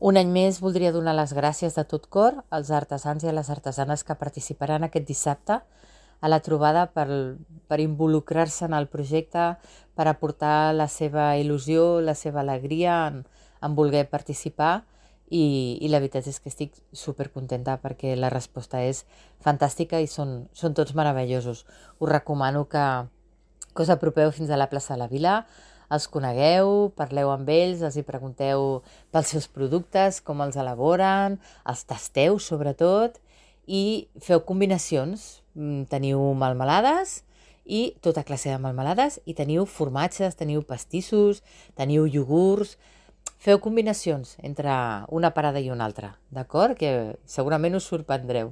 Un any més voldria donar les gràcies de tot cor als artesans i a les artesanes que participaran aquest dissabte a la trobada per involucrar-se en el projecte, per aportar la seva il·lusió, la seva alegria en voler participar i la veritat és que estic supercontenta perquè la resposta és fantàstica i són tots meravellosos. Us recomano que us apropeu fins a la plaça de la Vila, els conegueu, parleu amb ells, els hi pregunteu pels seus productes, com els elaboren, els tasteu sobretot i feu combinacions. Teniu melmelades i tota classe de melmelades i teniu formatges, teniu pastissos, teniu iogurts. Feu combinacions entre una parada i una altra, d'acord? Que segurament us sorprendreu.